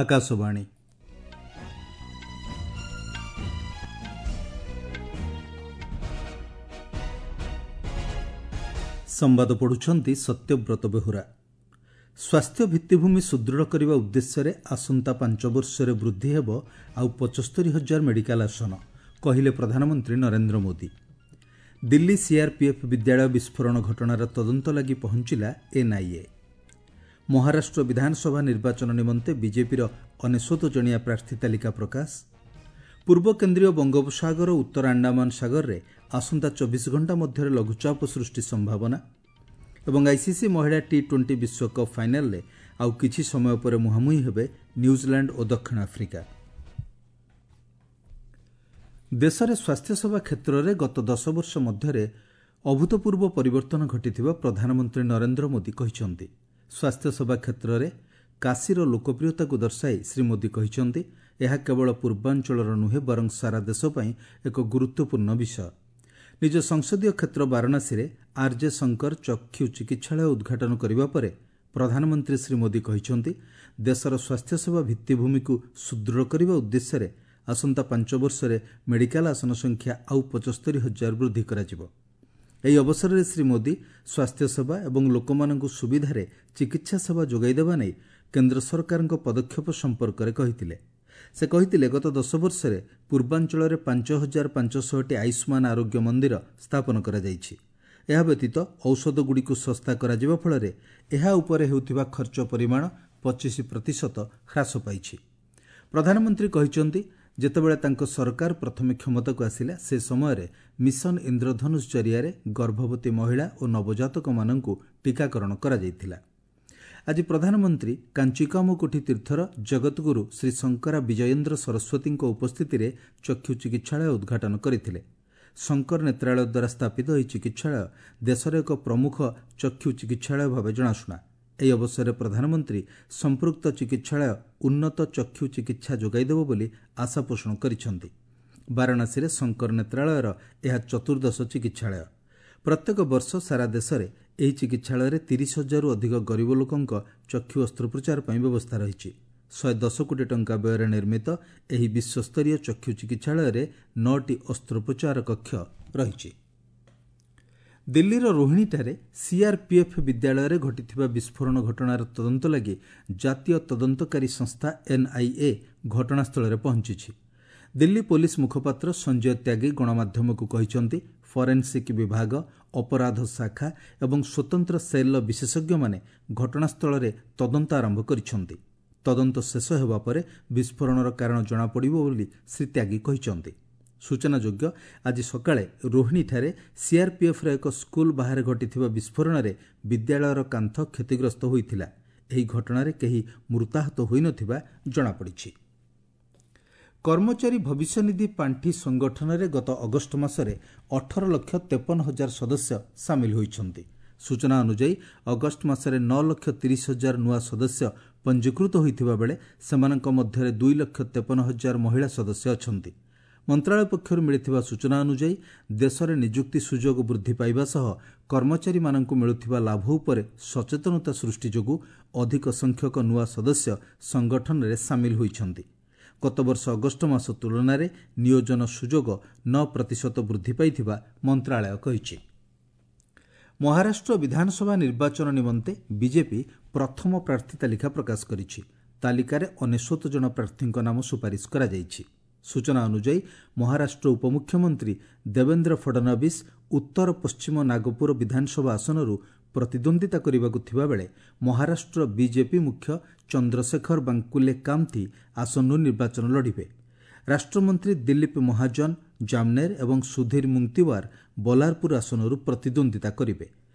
ଆକାଶବାଣୀ। ସମ୍ବାଦ ପଢ଼ୁଛନ୍ତି ସତ୍ୟବ୍ରତ ବେହୁରା। ସ୍ୱାସ୍ଥ୍ୟ ଭିତ୍ତିଭୂମି ସୁଦୃଢ଼ କରିବା ଉଦ୍ଦେଶ୍ୟରେ ଆସନ୍ତା 5 ବର୍ଷରେ ବୃଦ୍ଧି ହେବ ଆଉ 75,000 ମେଡିକାଲ ଆସନ, କହିଲେ ପ୍ରଧାନମନ୍ତ୍ରୀ ନରେନ୍ଦ୍ର ମୋଦି। ଦିଲ୍ଲୀ ସିଆର୍ପିଏଫ୍ ବିଦ୍ୟାଳୟ ବିସ୍ଫୋରଣ ଘଟଣାର ତଦନ୍ତ ଲାଗି ପହଞ୍ଚିଲା ଏନ୍ଆଇଏ। ମହାରାଷ୍ଟ୍ର ବିଧାନସଭା ନିର୍ବାଚନ ନିମନ୍ତେ ବିଜେପିର 99 ଜଣିଆ ପ୍ରାର୍ଥୀ ତାଲିକା ପ୍ରକାଶ। ପୂର୍ବ କେନ୍ଦ୍ରୀୟ ବଙ୍ଗୋପସାଗର ଓ ଉତ୍ତର ଆଣ୍ଡାମାନ ସାଗରରେ ଆସନ୍ତା 24 ଘଣ୍ଟା ମଧ୍ୟରେ ଲଘୁଚାପ ସୃଷ୍ଟି ସମ୍ଭାବନା। ଏବଂ ଆଇସିସି ମହିଳା ଟି-20 ବିଶ୍ୱକପ୍ ଫାଇନାଲ୍ରେ ଆଉ କିଛି ସମୟ ପରେ ମୁହାଁମୁହିଁ ହେବେ ନ୍ୟୁଜିଲାଣ୍ଡ ଓ ଦକ୍ଷିଣ ଆଫ୍ରିକା। ଦେଶରେ ସ୍ୱାସ୍ଥ୍ୟସେବା କ୍ଷେତ୍ରରେ ଗତ 10 ବର୍ଷ ମଧ୍ୟରେ ଅଭୂତପୂର୍ବ ପରିବର୍ତ୍ତନ ଘଟିଥିବା ପ୍ରଧାନମନ୍ତ୍ରୀ ନରେନ୍ଦ୍ର ମୋଦି କହିଛନ୍ତି। ସ୍ୱାସ୍ଥ୍ୟସେବା କ୍ଷେତ୍ରରେ କାଶୀର ଲୋକପ୍ରିୟତାକୁ ଦର୍ଶାଇ ଶ୍ରୀ ମୋଦି କହିଛନ୍ତି, ଏହା କେବଳ ପୂର୍ବାଞ୍ଚଳର ନୁହେଁ ବରଂ ସାରା ଦେଶ ପାଇଁ ଏକ ଗୁରୁତ୍ୱପୂର୍ଣ୍ଣ ବିଷୟ। ନିଜ ସଂସଦୀୟ କ୍ଷେତ୍ର ବାରାଣସୀରେ ଆର୍ଜେ ଶଙ୍କର ଚକ୍ଷୁ ଚିକିତ୍ସାଳୟ ଉଦ୍ଘାଟନ କରିବା ପରେ ପ୍ରଧାନମନ୍ତ୍ରୀ ଶ୍ରୀ ମୋଦି କହିଛନ୍ତି, ଦେଶର ସ୍ୱାସ୍ଥ୍ୟସେବା ଭିତ୍ତିଭୂମିକୁ ସୁଦୃଢ଼ କରିବା ଉଦ୍ଦେଶ୍ୟରେ ଆସନ୍ତା 5 ବର୍ଷରେ ମେଡିକାଲ ଆସନ ସଂଖ୍ୟା ଆଉ 75,000 ବୃଦ୍ଧି କରାଯିବ। ଏହି ଅବସରରେ ଶ୍ରୀ ମୋଦି ସ୍ୱାସ୍ଥ୍ୟସେବା ଏବଂ ଲୋକମାନଙ୍କୁ ସୁବିଧାରେ ଚିକିତ୍ସା ସେବା ଯୋଗାଇ ଦେବା ନେଇ କେନ୍ଦ୍ର ସରକାରଙ୍କ ପଦକ୍ଷେପ ସମ୍ପର୍କରେ କହିଥିଲେ। ସେ କହିଥିଲେ, ଗତ 10 ବର୍ଷରେ ପୂର୍ବାଞ୍ଚଳରେ 5,500ଟି ଆୟୁଷ୍ମାନ ଆରୋଗ୍ୟ ମନ୍ଦିର ସ୍ଥାପନ କରାଯାଇଛି। ଏହା ବ୍ୟତୀତ ଔଷଧଗୁଡ଼ିକୁ ଶସ୍ତା କରାଯିବା ଫଳରେ ଏହା ଉପରେ ହେଉଥିବା ଖର୍ଚ୍ଚ ପରିମାଣ 25% ହ୍ରାସ ପାଇଛି। ପ୍ରଧାନମନ୍ତ୍ରୀ କହିଛନ୍ତି, ଯେତେବେଳେ ତାଙ୍କ ସରକାର ପ୍ରଥମେ କ୍ଷମତାକୁ ଆସିଲା ସେ ସମୟରେ ମିଶନ ଇନ୍ଦ୍ରଧନୁଷ ଜରିଆରେ ଗର୍ଭବତୀ ମହିଳା ଓ ନବଜାତକମାନଙ୍କୁ ଟିକାକରଣ କରାଯାଇଥିଲା। ଆଜି ପ୍ରଧାନମନ୍ତ୍ରୀ କାଞ୍ଚିକାମକୋଠି ତୀର୍ଥର ଜଗତଗୁରୁ ଶ୍ରୀ ଶଙ୍କରା ବିଜୟେନ୍ଦ୍ର ସରସ୍ୱତୀଙ୍କ ଉପସ୍ଥିତିରେ ଚକ୍ଷୁ ଚିକିତ୍ସାଳୟ ଉଦ୍ଘାଟନ କରିଥିଲେ। ଶଙ୍କର ନେତ୍ରାଳୟ ଦ୍ୱାରା ସ୍ଥାପିତ ଏହି ଚିକିତ୍ସାଳୟ ଦେଶର ଏକ ପ୍ରମୁଖ ଚକ୍ଷୁ ଚିକିତ୍ସାଳୟ ଭାବେ ଜଣାଶୁଣା। ଏହି ଅବସରରେ ପ୍ରଧାନମନ୍ତ୍ରୀ ସମ୍ପୃକ୍ତ ଚିକିତ୍ସାଳୟ ଉନ୍ନତ ଚକ୍ଷୁ ଚିକିତ୍ସା ଯୋଗାଇଦେବ ବୋଲି ଆଶା ପୋଷଣ କରିଛନ୍ତି। ବାରାଣସୀରେ ଶଙ୍କର ନେତ୍ରାଳୟର ଏହା ଚତୁର୍ଦ୍ଦଶ ଚିକିତ୍ସାଳୟ। ପ୍ରତ୍ୟେକ ବର୍ଷ ସାରା ଦେଶରେ ଏହି ଚିକିତ୍ସାଳୟରେ 30,000ରୁ ଅଧିକ ଗରିବ ଲୋକଙ୍କ ଚକ୍ଷୁ ଅସ୍ତ୍ରୋପଚାର ପାଇଁ ବ୍ୟବସ୍ଥା ରହିଛି। 110 କୋଟି ଟଙ୍କା ବ୍ୟୟରେ ନିର୍ମିତ ଏହି ବିଶ୍ୱସ୍ତରୀୟ ଚକ୍ଷୁ ଚିକିତ୍ସାଳୟରେ 9ଟି ଅସ୍ତ୍ରୋପଚାର କକ୍ଷ ରହିଛି। ଦିଲ୍ଲୀର ରୋହିଣୀଠାରେ ସିଆର୍ପିଏଫ୍ ବିଦ୍ୟାଳୟରେ ଘଟିଥିବା ବିସ୍ଫୋରଣ ଘଟଣାର ତଦନ୍ତ ଲାଗି ଜାତୀୟ ତଦନ୍ତକାରୀ ସଂସ୍ଥା ଏନ୍ଆଇଏ ଘଟଣାସ୍ଥଳରେ ପହଞ୍ଚିଛି। ଦିଲ୍ଲୀ ପୋଲିସ ମୁଖପାତ୍ର ସଞ୍ଜୟ ତ୍ୟାଗୀ ଗଣମାଧ୍ୟମକୁ କହିଛନ୍ତି, ଫରେନ୍ସିକ୍ ବିଭାଗ, ଅପରାଧ ଶାଖା ଏବଂ ସ୍ୱତନ୍ତ୍ର ସେଲ୍ର ବିଶେଷଜ୍ଞମାନେ ଘଟଣାସ୍ଥଳରେ ତଦନ୍ତ ଆରମ୍ଭ କରିଛନ୍ତି। ତଦନ୍ତ ଶେଷ ହେବା ପରେ ବିସ୍ଫୋରଣର କାରଣ ଜଣାପଡ଼ିବ ବୋଲି ଶ୍ରୀ ତ୍ୟାଗୀ କହିଛନ୍ତି। ସୂଚନାଯୋଗ୍ୟ, ଆଜି ସକାଳେ ରୋହିଣୀଠାରେ ସିଆର୍ପିଏଫ୍ର ଏକ ସ୍କୁଲ ବାହାରେ ଘଟିଥିବା ବିସ୍ଫୋରଣରେ ବିଦ୍ୟାଳୟର କାନ୍ଥ କ୍ଷତିଗ୍ରସ୍ତ ହୋଇଥିଲା। ଏହି ଘଟଣାରେ କେହି ମୃତାହତ ହୋଇନଥିବା ଜଣାପଡ଼ିଛି। କର୍ମଚାରୀ ଭବିଷ୍ୟନିଧି ପାଣ୍ଠି ସଂଗଠନରେ ଗତ ଅଗଷ୍ଟ ମାସରେ 18,53,000 ସଦସ୍ୟ ସାମିଲ ହୋଇଛନ୍ତି। ସୂଚନା ଅନୁଯାୟୀ, ଅଗଷ୍ଟ ମାସରେ 9,30,000 ନୂଆ ସଦସ୍ୟ ପଞ୍ଜୀକୃତ ହୋଇଥିବା ବେଳେ ସେମାନଙ୍କ ମଧ୍ୟରେ 2,53,000 ମହିଳା ସଦସ୍ୟ ଅଛନ୍ତି। ମନ୍ତ୍ରାଳୟ ପକ୍ଷରୁ ମିଳିଥିବା ସୂଚନା ଅନୁଯାୟୀ, ଦେଶରେ ନିଯୁକ୍ତି ସୁଯୋଗ ବୃଦ୍ଧି ପାଇବା ସହ କର୍ମଚାରୀମାନଙ୍କୁ ମିଳୁଥିବା ଲାଭ ଉପରେ ସଚେତନତା ସୃଷ୍ଟି ଯୋଗୁଁ ଅଧିକ ସଂଖ୍ୟକ ନୂଆ ସଦସ୍ୟ ସଂଗଠନରେ ସାମିଲ ହୋଇଛନ୍ତି। ଗତବର୍ଷ ଅଗଷ୍ଟ ମାସ ତୁଳନାରେ ନିୟୋଜନ ସୁଯୋଗ 9% ବୃଦ୍ଧି ପାଇଥିବା ମନ୍ତ୍ରାଳୟ କହିଛି। ମହାରାଷ୍ଟ୍ର ବିଧାନସଭା ନିର୍ବାଚନ ନିମନ୍ତେ ବିଜେପି ପ୍ରଥମ ପ୍ରାର୍ଥୀ ତାଲିକା ପ୍ରକାଶ କରିଛି। ତାଲିକାରେ 99 ଜଣ ପ୍ରାର୍ଥୀଙ୍କ ନାମ ସୁପାରିଶ କରାଯାଇଛି। ସୂଚନା ଅନୁଯାୟୀ, ମହାରାଷ୍ଟ୍ର ଉପମୁଖ୍ୟମନ୍ତ୍ରୀ ଦେବେନ୍ଦ୍ର ଫଡନବିସ୍ ଉତ୍ତର ପଶ୍ଚିମ ନାଗପୁର ବିଧାନସଭା ଆସନରୁ ପ୍ରତିଦ୍ୱନ୍ଦ୍ୱିତା କରିବାକୁ ଥିବାବେଳେ ମହାରାଷ୍ଟ୍ର ବିଜେପି ମୁଖ୍ୟ ଚନ୍ଦ୍ରଶେଖର ବାଙ୍କୁଲେ କାମଥି ଆସନରୁ ନିର୍ବାଚନ ଲଢ଼ିବେ। ରାଷ୍ଟ୍ରମନ୍ତ୍ରୀ ଦିଲ୍ଲୀପ ମହାଜନ ଜାମନେର ଏବଂ ସୁଧୀର ମୁଙ୍ଗତିୱାର ବଲାରପୁର ଆସନରୁ ପ୍ରତିଦ୍ୱନ୍ଦ୍ୱିତା କରିବେ।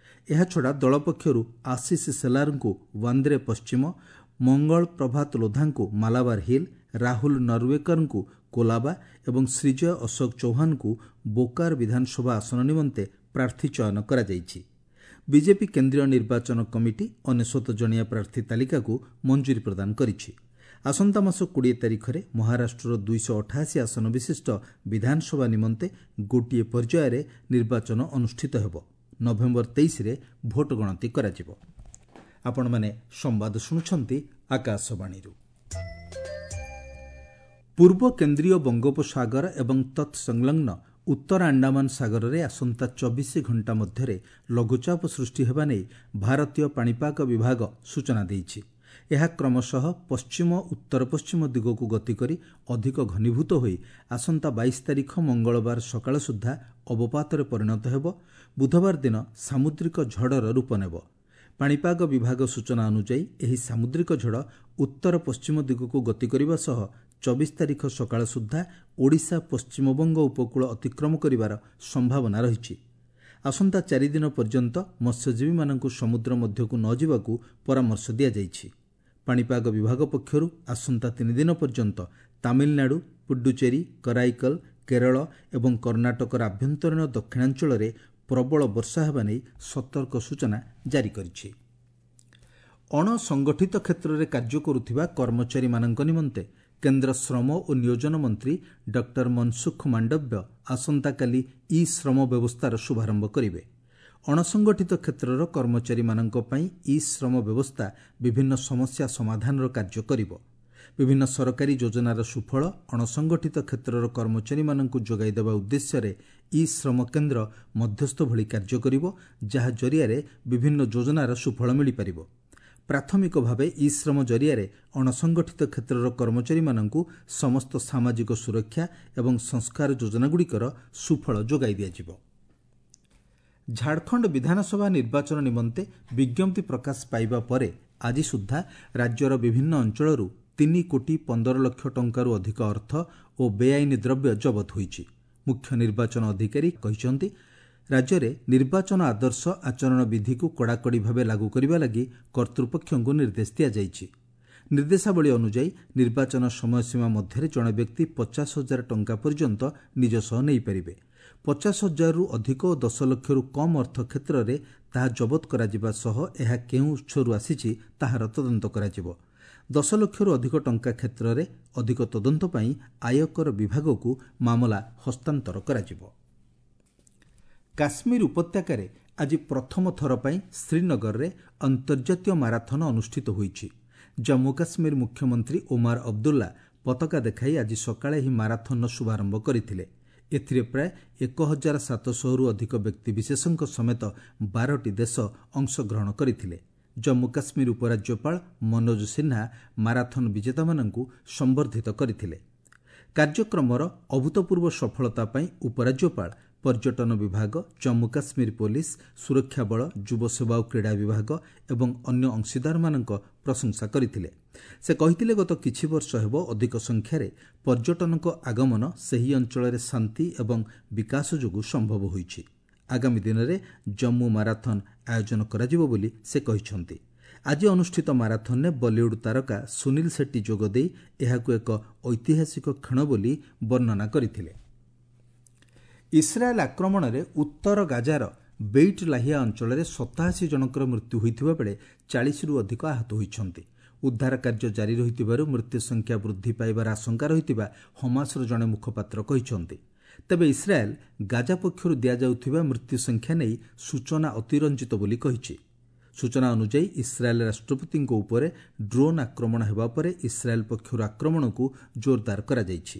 ଏହାଛଡ଼ା ଦଳ ପକ୍ଷରୁ ଆଶିଷ ସେଲାରଙ୍କୁ ବାନ୍ଦ୍ରେ ପଶ୍ଚିମ, ମଙ୍ଗଳ ପ୍ରଭାତ ଲୋଧାଙ୍କୁ ମାଲାବାର ହିଲ୍, ରାହୁଲ ନରୱେକରଙ୍କୁ କୋଲାବା ଏବଂ ଶ୍ରୀଜୟ ଅଶୋକ ଚୌହାନଙ୍କୁ ବୋକାର ବିଧାନସଭା ଆସନ ନିମନ୍ତେ ପ୍ରାର୍ଥୀ ଚୟନ କରାଯାଇଛି। ବିଜେପି କେନ୍ଦ୍ରୀୟ ନିର୍ବାଚନ କମିଟି 99 ଜଣିଆ ପ୍ରାର୍ଥୀ ତାଲିକାକୁ ମଞ୍ଜୁରୀ ପ୍ରଦାନ କରିଛି। ଆସନ୍ତା ମାସ 20 ତାରିଖରେ ମହାରାଷ୍ଟ୍ରର 288 ଆସନ ବିଶିଷ୍ଟ ବିଧାନସଭା ନିମନ୍ତେ ଗୋଟିଏ ପର୍ଯ୍ୟାୟରେ ନିର୍ବାଚନ ଅନୁଷ୍ଠିତ ହେବ। ନଭେମ୍ବର 23ରେ ଭୋଟ ଗଣତି କରାଯିବ। ଆପଣମାନେ ସମ୍ବାଦ ଶୁଣୁଛନ୍ତି ଆକାଶବାଣୀରୁ। ପୂର୍ବ କେନ୍ଦ୍ରୀୟ ବଙ୍ଗୋପସାଗର ଏବଂ ତତ୍ସଂଲଗ୍ନ ଉତ୍ତର ଆଣ୍ଡାମାନ ସାଗରରେ ଆସନ୍ତା 24 ଘଣ୍ଟା ମଧ୍ୟରେ ଲଘୁଚାପ ସୃଷ୍ଟି ହେବା ନେଇ ଭାରତୀୟ ପାଣିପାଗ ବିଭାଗ ସୂଚନା ଦେଇଛି। ଏହା କ୍ରମଶଃ ପଶ୍ଚିମ ଉତ୍ତର ପଶ୍ଚିମ ଦିଗକୁ ଗତି କରି ଅଧିକ ଘନୀଭୂତ ହୋଇ ଆସନ୍ତା 22 ତାରିଖ ମଙ୍ଗଳବାର ସକାଳ ସୁଦ୍ଧା ଅବପାତରେ ପରିଣତ ହେବ। ବୁଧବାର ଦିନ ସାମୁଦ୍ରିକ ଝଡ଼ର ରୂପ ନେବ। ପାଣିପାଗ ବିଭାଗ ସୂଚନା ଅନୁଯାୟୀ ଏହି ସାମୁଦ୍ରିକ ଝଡ଼ ଉତ୍ତର ପଶ୍ଚିମ ଦିଗକୁ ଗତି କରିବା ସହ 24 ତାରିଖ ସକାଳ ସୁଦ୍ଧା ଓଡ଼ିଶା ପଶ୍ଚିମବଙ୍ଗ ଉପକୂଳ ଅତିକ୍ରମ କରିବାର ସମ୍ଭାବନା ରହିଛି। ଆସନ୍ତା 4 ଦିନ ପର୍ଯ୍ୟନ୍ତ ମତ୍ସ୍ୟଜୀବୀମାନଙ୍କୁ ସମୁଦ୍ର ମଧ୍ୟକୁ ନ ଯିବାକୁ ପରାମର୍ଶ ଦିଆଯାଇଛି। ପାଣିପାଗ ବିଭାଗ ପକ୍ଷରୁ ଆସନ୍ତା 3 ଦିନ ପର୍ଯ୍ୟନ୍ତ ତାମିଲନାଡୁ, ପୁଡୁଚେରୀ, କରାଇକଲ, କେରଳ ଏବଂ କର୍ଣ୍ଣାଟକର ଆଭ୍ୟନ୍ତରୀଣ ଦକ୍ଷିଣାଞ୍ଚଳରେ ପ୍ରବଳ ବର୍ଷା ହେବା ନେଇ ସତର୍କ ସୂଚନା ଜାରି କରିଛି। ଅଣସଂଗଠିତ କ୍ଷେତ୍ରରେ କାର୍ଯ୍ୟ କରୁଥିବା କର୍ମଚାରୀମାନଙ୍କ ନିମନ୍ତେ କେନ୍ଦ୍ର ଶ୍ରମ ଓ ନିୟୋଜନ ମନ୍ତ୍ରୀ ଡକ୍ଟର ମନସୁଖ ମାଣ୍ଡବ୍ୟ ଆସନ୍ତାକାଲି ଇ ଶ୍ରମ ବ୍ୟବସ୍ଥାର ଶୁଭାରମ୍ଭ କରିବେ। ଅଣସଂଗଠିତ କ୍ଷେତ୍ରର କର୍ମଚାରୀମାନଙ୍କ ପାଇଁ ଇ ଶ୍ରମ ବ୍ୟବସ୍ଥା ବିଭିନ୍ନ ସମସ୍ୟା ସମାଧାନର କାର୍ଯ୍ୟ କରିବ। ବିଭିନ୍ନ ସରକାରୀ ଯୋଜନାର ସୁଫଳ ଅଣସଂଗଠିତ କ୍ଷେତ୍ରର କର୍ମଚାରୀମାନଙ୍କୁ ଯୋଗାଇ ଦେବା ଉଦ୍ଦେଶ୍ୟରେ ଇ ଶ୍ରମ କେନ୍ଦ୍ର ମଧ୍ୟସ୍ଥ ଭଳି କାର୍ଯ୍ୟ କରିବ, ଯାହା ଜରିଆରେ ବିଭିନ୍ନ ଯୋଜନାର ସୁଫଳ ମିଳିପାରିବ। ପ୍ରାଥମିକ ଭାବେ ଇ ଶ୍ରମ ଜରିଆରେ ଅଣସଂଗଠିତ କ୍ଷେତ୍ରର କର୍ମଚାରୀମାନଙ୍କୁ ସମସ୍ତ ସାମାଜିକ ସୁରକ୍ଷା ଏବଂ ସଂସ୍କାର ଯୋଜନାଗୁଡ଼ିକର ସୁଫଳ ଯୋଗାଇ ଦିଆଯିବ। ଝାଡ଼ଖଣ୍ଡ ବିଧାନସଭା ନିର୍ବାଚନ ନିମନ୍ତେ ବିଜ୍ଞପ୍ତି ପ୍ରକାଶ ପାଇବା ପରେ ଆଜି ସୁଦ୍ଧା ରାଜ୍ୟର ବିଭିନ୍ନ ଅଞ୍ଚଳରୁ 3 କୋଟି 15 ଲକ୍ଷ ଟଙ୍କାରୁ ଅଧିକ ଅର୍ଥ ଓ ବେଆଇନ ଦ୍ରବ୍ୟ ଜବତ ହୋଇଛି। ମୁଖ୍ୟ ନିର୍ବାଚନ ଅଧିକାରୀ କହିଛନ୍ତି, ରାଜ୍ୟରେ ନିର୍ବାଚନ ଆଦର୍ଶ ଆଚରଣ ବିଧିକୁ କଡ଼ାକଡ଼ି ଭାବେ ଲାଗୁ କରିବା ଲାଗି କର୍ତ୍ତୃପକ୍ଷଙ୍କୁ ନିର୍ଦ୍ଦେଶ ଦିଆଯାଇଛି। ନିର୍ଦ୍ଦେଶାବଳୀ ଅନୁଯାୟୀ ନିର୍ବାଚନ ସମୟସୀମା ମଧ୍ୟରେ ଜଣେ ବ୍ୟକ୍ତି 50,000 ଟଙ୍କା ପର୍ଯ୍ୟନ୍ତ ନିଜ ସହ ନେଇପାରିବେ। 50,000ରୁ ଅଧିକ ଓ 10 ଲକ୍ଷରୁ କମ୍ ଅର୍ଥ କ୍ଷେତ୍ରରେ ତାହା ଜବତ କରାଯିବା ସହ ଏହା କେଉଁ ଉତ୍ସରୁ ଆସିଛି ତାହାର ତଦନ୍ତ କରାଯିବ। 10 ଲକ୍ଷରୁ ଅଧିକ ଟଙ୍କା କ୍ଷେତ୍ରରେ ଅଧିକ ତଦନ୍ତ ପାଇଁ ଆୟକର ବିଭାଗକୁ ମାମଲା ହସ୍ତାନ୍ତର କରାଯିବ। କାଶ୍ମୀର ଉପତ୍ୟକାରେ ଆଜି ପ୍ରଥମ ଥର ପାଇଁ ଶ୍ରୀନଗରରେ ଅନ୍ତର୍ଜାତୀୟ ମାରାଥନ ଅନୁଷ୍ଠିତ ହୋଇଛି। ଜମ୍ମୁ କାଶ୍ମୀର ମୁଖ୍ୟମନ୍ତ୍ରୀ ଓମାର ଅବଦୁଲ୍ଲା ପତାକା ଦେଖାଇ ଆଜି ସକାଳେ ଏହି ମାରାଥନର ଶୁଭାରମ୍ଭ କରିଥିଲେ। ଏଥିରେ ପ୍ରାୟ 1700ରୁ ଅଧିକ ବ୍ୟକ୍ତିବିଶେଷଙ୍କ ସମେତ 12ଟି ଦେଶ ଅଂଶଗ୍ରହଣ କରିଥିଲେ। ଜମ୍ମୁ କାଶ୍ମୀର ଉପରାଜ୍ୟପାଳ ମନୋଜ ସିହ୍ନା ମାରାଥନ ବିଜେତାମାନଙ୍କୁ ସମ୍ବର୍ଦ୍ଧିତ କରିଥିଲେ। କାର୍ଯ୍ୟକ୍ରମର ଅଭୂତପୂର୍ବ ସଫଳତା ପାଇଁ ଉପରାଜ୍ୟପାଳ, ପର୍ଯ୍ୟଟନ ବିଭାଗ, ଜମ୍ମୁ କାଶ୍ମୀର ପୋଲିସ, ସୁରକ୍ଷା ବଳ, ଯୁବସେବା ଓ କ୍ରୀଡ଼ା ବିଭାଗ ଏବଂ ଅନ୍ୟ ଅଂଶୀଦାରମାନଙ୍କ ପ୍ରଶଂସା କରିଥିଲେ। ସେ କହିଥିଲେ, ଗତ କିଛି ବର୍ଷ ହେବ ଅଧିକ ସଂଖ୍ୟାରେ ପର୍ଯ୍ୟଟନଙ୍କ ଆଗମନ ସେହି ଅଞ୍ଚଳରେ ଶାନ୍ତି ଏବଂ ବିକାଶ ଯୋଗୁଁ ସମ୍ଭବ ହୋଇଛି। ଆଗାମୀ ଦିନରେ ଜମ୍ମୁ ମାରାଥନ ଆୟୋଜନ କରାଯିବ ବୋଲି ସେ କହିଛନ୍ତି। ଆଜି ଅନୁଷ୍ଠିତ ମାରାଥନରେ ବଲିଉଡ୍ ତାରକା ସୁନୀଲ ସେଟ୍ଟୀ ଯୋଗଦେଇ ଏହାକୁ ଏକ ଐତିହାସିକ କ୍ଷଣ ବୋଲି ବର୍ଣ୍ଣନା କରିଥିଲେ। ଇସ୍ରାଏଲ୍ ଆକ୍ରମଣରେ ଉତ୍ତର ଗାଜାର ବେଇଟ୍ ଲାହିଆ ଅଞ୍ଚଳରେ 87 ଜଣଙ୍କର ମୃତ୍ୟୁ ହୋଇଥିବା ବେଳେ 40ରୁ ଅଧିକ ଆହତ ହୋଇଛନ୍ତି। ଉଦ୍ଧାର କାର୍ଯ୍ୟ ଜାରି ରହିଥିବାରୁ ମୃତ୍ୟୁ ସଂଖ୍ୟା ବୃଦ୍ଧି ପାଇବାର ଆଶଙ୍କା ରହିଥିବା ହମାସର ଜଣେ ମୁଖପାତ୍ର କହିଛନ୍ତି। ତେବେ ଇସ୍ରାଏଲ୍ ଗାଜା ପକ୍ଷରୁ ଦିଆଯାଉଥିବା ମୃତ୍ୟୁ ସଂଖ୍ୟା ନେଇ ସୂଚନା ଅତିରଞ୍ଜିତ ବୋଲି କହିଛି। ସୂଚନା ଅନୁଯାୟୀ ଇସ୍ରାଏଲ୍ ରାଷ୍ଟ୍ରପତିଙ୍କ ଉପରେ ଡ୍ରୋନ୍ ଆକ୍ରମଣ ହେବା ପରେ ଇସ୍ରାଏଲ୍ ପକ୍ଷରୁ ଆକ୍ରମଣକୁ ଜୋରଦାର କରାଯାଇଛି।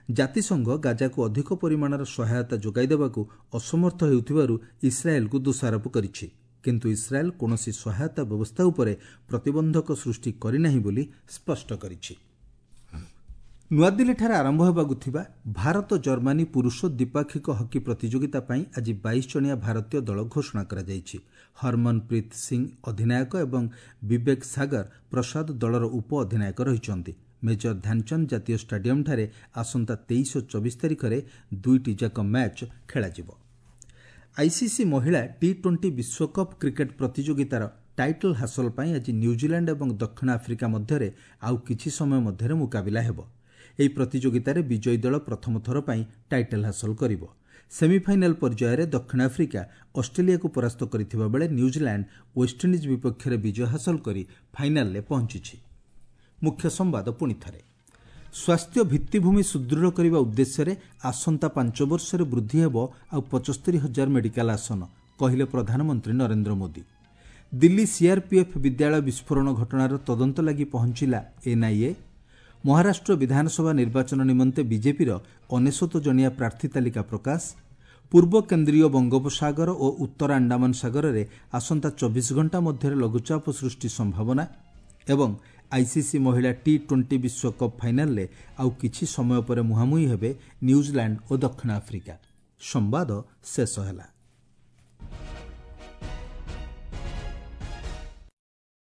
ଜାତିସଂଘ ଗାଜାକୁ ଅଧିକ ପରିମାଣର ସହାୟତା ଯୋଗାଇ ଦେବାକୁ ଅସମର୍ଥ ହେଉଥିବାରୁ ଇସ୍ରାଏଲ୍କୁ ଦୋଷାରୋପ କରିଛି। କିନ୍ତୁ ଇସ୍ରାଏଲ୍ କୌଣସି ସହାୟତା ବ୍ୟବସ୍ଥା ଉପରେ ପ୍ରତିବନ୍ଧକ ସୃଷ୍ଟି କରିନାହିଁ ବୋଲି ସ୍ପଷ୍ଟ କରିଛି। ନୂଆଦିଲ୍ଲୀଠାରେ ଆରମ୍ଭ ହେବାକୁ ଥିବା ଭାରତ ଜର୍ମାନୀ ପୁରୁଷ ଦ୍ୱିପାକ୍ଷିକ ହକି ପ୍ରତିଯୋଗିତା ପାଇଁ ଆଜି 22 ଜଣିଆ ଭାରତୀୟ ଦଳ ଘୋଷଣା କରାଯାଇଛି। ହରମନପ୍ରୀତ ସିଂ ଅଧିନାୟକ ଏବଂ ବିବେକ ସାଗର ପ୍ରସାଦ ଦଳର ଉପ ଅଧିନାୟକ ରହିଛନ୍ତି। ମେଜର ଧ୍ୟାନଚାନ୍ଦ ଜାତୀୟ ଷ୍ଟାଡିୟମ୍ଠାରେ ଆସନ୍ତା 23 ଓ 24 ତାରିଖରେ ଦୁଇଟି ଯାକ ମ୍ୟାଚ୍ ଖେଳାଯିବ। ଆଇସିସି ମହିଳା ଟି-20 ବିଶ୍ୱକପ୍ କ୍ରିକେଟ୍ ପ୍ରତିଯୋଗିତାର ଟାଇଟଲ୍ ହାସଲ ପାଇଁ ଆଜି ନ୍ୟୁଜିଲାଣ୍ଡ ଏବଂ ଦକ୍ଷିଣ ଆଫ୍ରିକା ମଧ୍ୟରେ ଆଉ କିଛି ସମୟ ମଧ୍ୟରେ ମୁକାବିଲା ହେବ। ଏହି ପ୍ରତିଯୋଗିତାରେ ବିଜୟୀ ଦଳ ପ୍ରଥମ ଥର ପାଇଁ ଟାଇଟଲ୍ ହାସଲ କରିବ। ସେମିଫାଇନାଲ୍ ପର୍ଯ୍ୟାୟରେ ଦକ୍ଷିଣ ଆଫ୍ରିକା ଅଷ୍ଟ୍ରେଲିଆକୁ ପରାସ୍ତ କରିଥିବା ବେଳେ ନ୍ୟୁଜିଲାଣ୍ଡ ୱେଷ୍ଟଇଣ୍ଡିଜ୍ ବିପକ୍ଷରେ ବିଜୟ ହାସଲ କରି ଫାଇନାଲ୍ରେ ପହଞ୍ଚିଛି। ମୁଖ୍ୟ ସମ୍ବାଦ ପୁଣି ଥରେ। ସ୍ୱାସ୍ଥ୍ୟ ଭିତ୍ତିଭୂମି ସୁଦୃଢ଼ କରିବା ଉଦ୍ଦେଶ୍ୟରେ ଆସନ୍ତା 5 ବର୍ଷରେ ବୃଦ୍ଧି ହେବ ଆଉ 75,000 ମେଡିକାଲ ଆସନ, କହିଲେ ପ୍ରଧାନମନ୍ତ୍ରୀ ନରେନ୍ଦ୍ର ମୋଦି। ଦିଲ୍ଲୀ ସିଆର୍ପିଏଫ୍ ବିଦ୍ୟାଳୟ ବିସ୍ଫୋରଣ ଘଟଣାର ତଦନ୍ତ ଲାଗି ପହଞ୍ଚିଲା ଏନ୍ଆଇଏ। ମହାରାଷ୍ଟ୍ର ବିଧାନସଭା ନିର୍ବାଚନ ନିମନ୍ତେ ବିଜେପିର 99 ଜଣିଆ ପ୍ରାର୍ଥୀ ତାଲିକା ପ୍ରକାଶ। ପୂର୍ବ କେନ୍ଦ୍ରୀୟ ବଙ୍ଗୋପସାଗର ଓ ଉତ୍ତର ଆଣ୍ଡାମାନ ସାଗରରେ ଆସନ୍ତା 24 ଘଣ୍ଟା ମଧ୍ୟରେ ଲଘୁଚାପ ସୃଷ୍ଟି ସମ୍ଭାବନା ଏବଂ ଆଇସିସି ମହିଳା ଟି-20 ବିଶ୍ୱକପ୍ ଫାଇନାଲ୍ରେ ଆଉ କିଛି ସମୟ ପରେ ମୁହାଁମୁହିଁ ହେବେ ନ୍ୟୁଜିଲାଣ୍ଡ ଓ ଦକ୍ଷିଣ ଆଫ୍ରିକା। ସମ୍ବାଦ ଶେଷ ହେଲା।